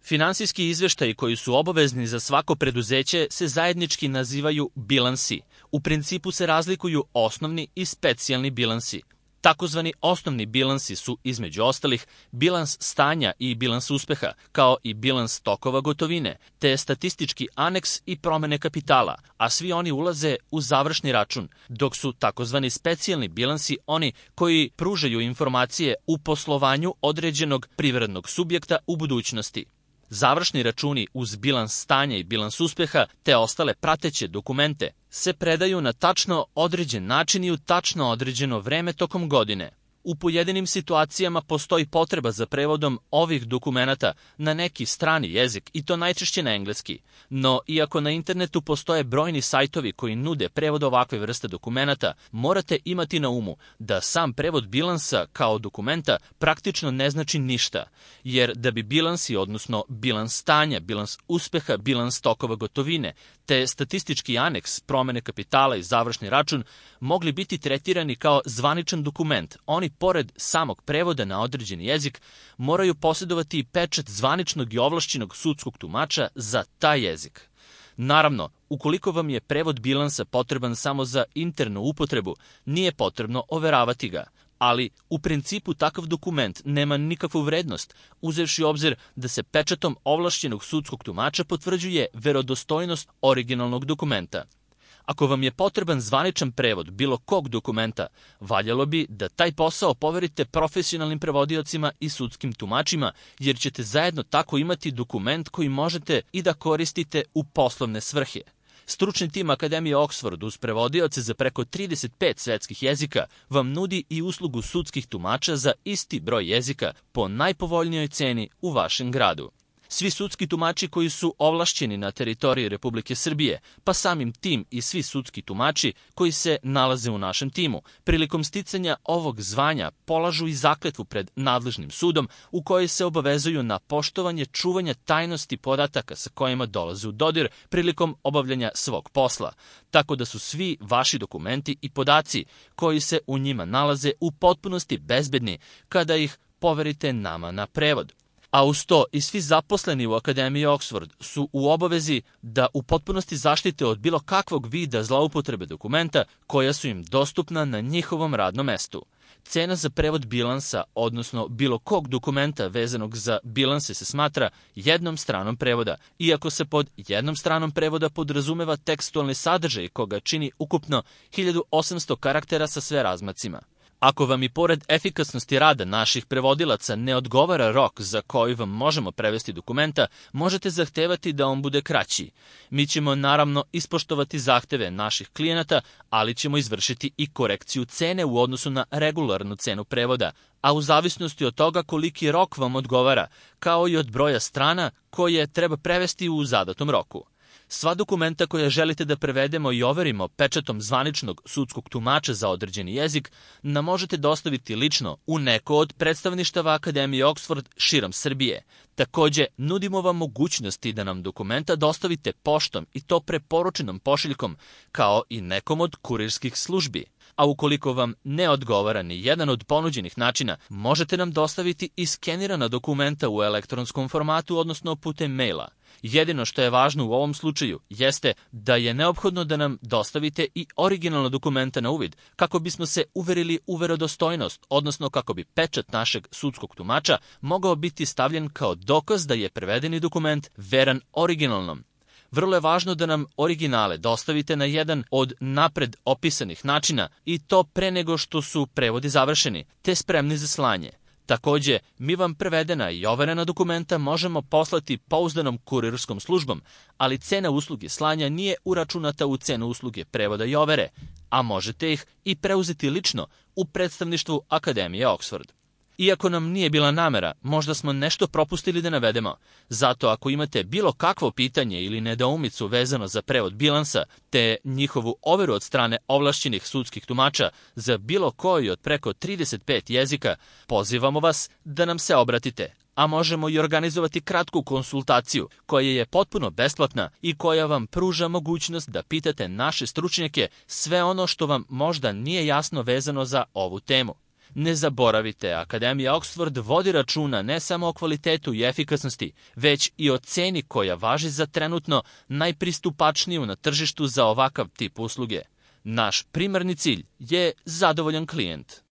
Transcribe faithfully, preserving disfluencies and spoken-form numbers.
Finansijski izveštaji koji su obavezni za svako preduzeće se zajednički nazivaju bilansi. U principu se razlikuju osnovni i specijalni bilansi. Takozvani osnovni bilansi su, između ostalih, bilans stanja i bilans uspeha, kao i bilans tokova gotovine, te statistički aneks i promene kapitala, a svi oni ulaze u završni račun, dok su takozvani specijalni bilansi oni koji pružaju informacije u poslovanju određenog privrednog subjekta u budućnosti. Završni računi uz bilans stanja i bilans uspeha te ostale prateće dokumente se predaju na tačno određen način i u tačno određeno vreme tokom godine. U pojedinim situacijama postoji potreba za prevodom ovih dokumenata na neki strani jezik i to najčešće na engleski. No, iako na internetu postoje brojni sajtovi koji nude prevod ovakve vrste dokumenata, morate imati na umu da sam prevod bilansa kao dokumenta praktično ne znači ništa, jer da bi bilansi, odnosno bilans stanja, bilans uspeha, bilans tokova gotovine, te statistički aneks, promene kapitala i završni račun mogli biti tretirani kao zvaničan dokument, oni pored samog prevoda na određeni jezik moraju posjedovati i pečat zvaničnog i ovlašćenog sudskog tumača za taj jezik. Naravno, ukoliko vam je prevod bilansa potreban samo za internu upotrebu, nije potrebno overavati ga. Ali u principu takav dokument nema nikakvu vrednost, uzevši obzir da se pečatom ovlašćenog sudskog tumača potvrđuje verodostojnost originalnog dokumenta. Ako vam je potreban zvaničan prevod bilo kog dokumenta, valjalo bi da taj posao poverite profesionalnim prevodiocima i sudskim tumačima, jer ćete zajedno tako imati dokument koji možete i da koristite u poslovne svrhe. Stručni tim Akademije Oxford uz prevodioce za preko trideset pet svetskih jezika vam nudi i uslugu sudskih tumača za isti broj jezika po najpovoljnijoj ceni u vašem gradu. Svi sudski tumači koji su ovlašćeni na teritoriji Republike Srbije, pa samim tim i svi sudski tumači koji se nalaze u našem timu, prilikom sticanja ovog zvanja polažu i zakletvu pred nadležnim sudom u kojoj se obavezuju na poštovanje čuvanja tajnosti podataka sa kojima dolaze u dodir prilikom obavljanja svog posla, tako da su svi vaši dokumenti i podaci koji se u njima nalaze u potpunosti bezbedni kada ih poverite nama na prevod. A uz to i svi zaposleni u Akademiji Oxford su u obavezi da u potpunosti zaštite od bilo kakvog vida zloupotrebe dokumenta koja su im dostupna na njihovom radnom mestu. Cena za prevod bilansa, odnosno bilo kog dokumenta vezanog za bilanse se smatra jednom stranom prevoda, iako se pod jednom stranom prevoda podrazumeva tekstualni sadržaj koga čini ukupno hiljadu osamsto karaktera sa sve razmacima. Ako vam i pored efikasnosti rada naših prevodilaca ne odgovara rok za koji vam možemo prevesti dokumenta, možete zahtevati da on bude kraći. Mi ćemo naravno ispoštovati zahteve naših klijenata, ali ćemo izvršiti i korekciju cene u odnosu na regularnu cenu prevoda, a u zavisnosti od toga koliki rok vam odgovara, kao i od broja strana koje treba prevesti u zadatom roku. Sva dokumenta koja želite da prevedemo i overimo pečatom zvaničnog sudskog tumača za određeni jezik nam možete dostaviti lično u neko od predstavništava Akademije Oxford širom Srbije. Takođe, nudimo vam mogućnosti da nam dokumenta dostavite poštom i to preporučenom pošiljkom, kao i nekom od kurirskih službi. A ukoliko vam ne odgovara ni jedan od ponuđenih načina, možete nam dostaviti i skenirana dokumenta u elektronskom formatu, odnosno putem maila. Jedino što je važno u ovom slučaju jeste da je neophodno da nam dostavite i originalna dokumenta na uvid, kako bismo se uverili u verodostojnost, odnosno kako bi pečat našeg sudskog tumača mogao biti stavljen kao dokaz da je prevedeni dokument veran originalnom. Vrlo je važno da nam originale dostavite na jedan od napred opisanih načina i to pre nego što su prevodi završeni, te spremni za slanje. Takođe, mi vam prevedena i overena dokumenta možemo poslati pouzdanom kurirskom službom, ali cena usluge slanja nije uračunata u cenu usluge prevoda i overe, a možete ih i preuzeti lično u predstavništvu Akademije Oxford. Iako nam nije bila namera, možda smo nešto propustili da navedemo. Zato ako imate bilo kakvo pitanje ili nedoumicu vezano za prevod bilansa, te njihovu overu od strane ovlašćenih sudskih tumača za bilo koji od preko trideset pet jezika, pozivamo vas da nam se obratite, a možemo i organizovati kratku konsultaciju koja je potpuno besplatna i koja vam pruža mogućnost da pitate naše stručnjake sve ono što vam možda nije jasno vezano za ovu temu. Ne zaboravite, Akademija Oxford vodi računa ne samo o kvalitetu i efikasnosti, već i o ceni koja važi za trenutno najpristupačniju na tržištu za ovakav tip usluge. Naš primarni cilj je zadovoljan klijent.